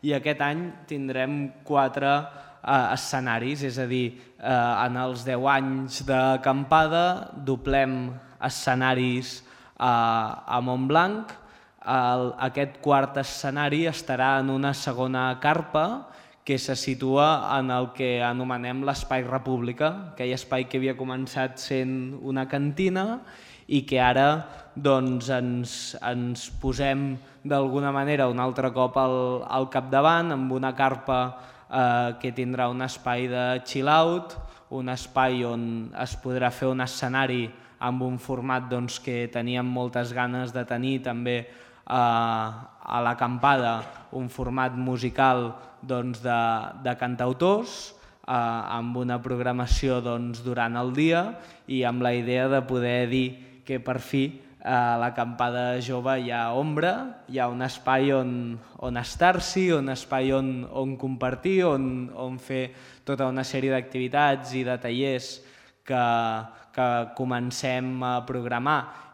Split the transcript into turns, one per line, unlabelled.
i aquest any tindrem 4 escenaris, és a dir, en els 10 anys d'acampada doblem escenaris a Montblanc. Aquest quart escenari estarà en una segona carpa que se situa en el que anomenem l'Espai República, aquell espai que havia començat sent una cantina i que ara ens posem d'alguna manera un altre cop al capdavant amb una carpa que tindrà un espai de chill out, un espai on es podrà fer un escenari amb un format que teníem moltes ganes de tenir també a l'acampada, un format musical de cantautors, amb una programació durant el dia i amb la idea de poder dir que per fi a l'acampada jove hi ha ombra, hi ha un espai on estar-s'hi, un espai on compartir, on fer tota una sèrie d'activitats i de tallers que comencem a programar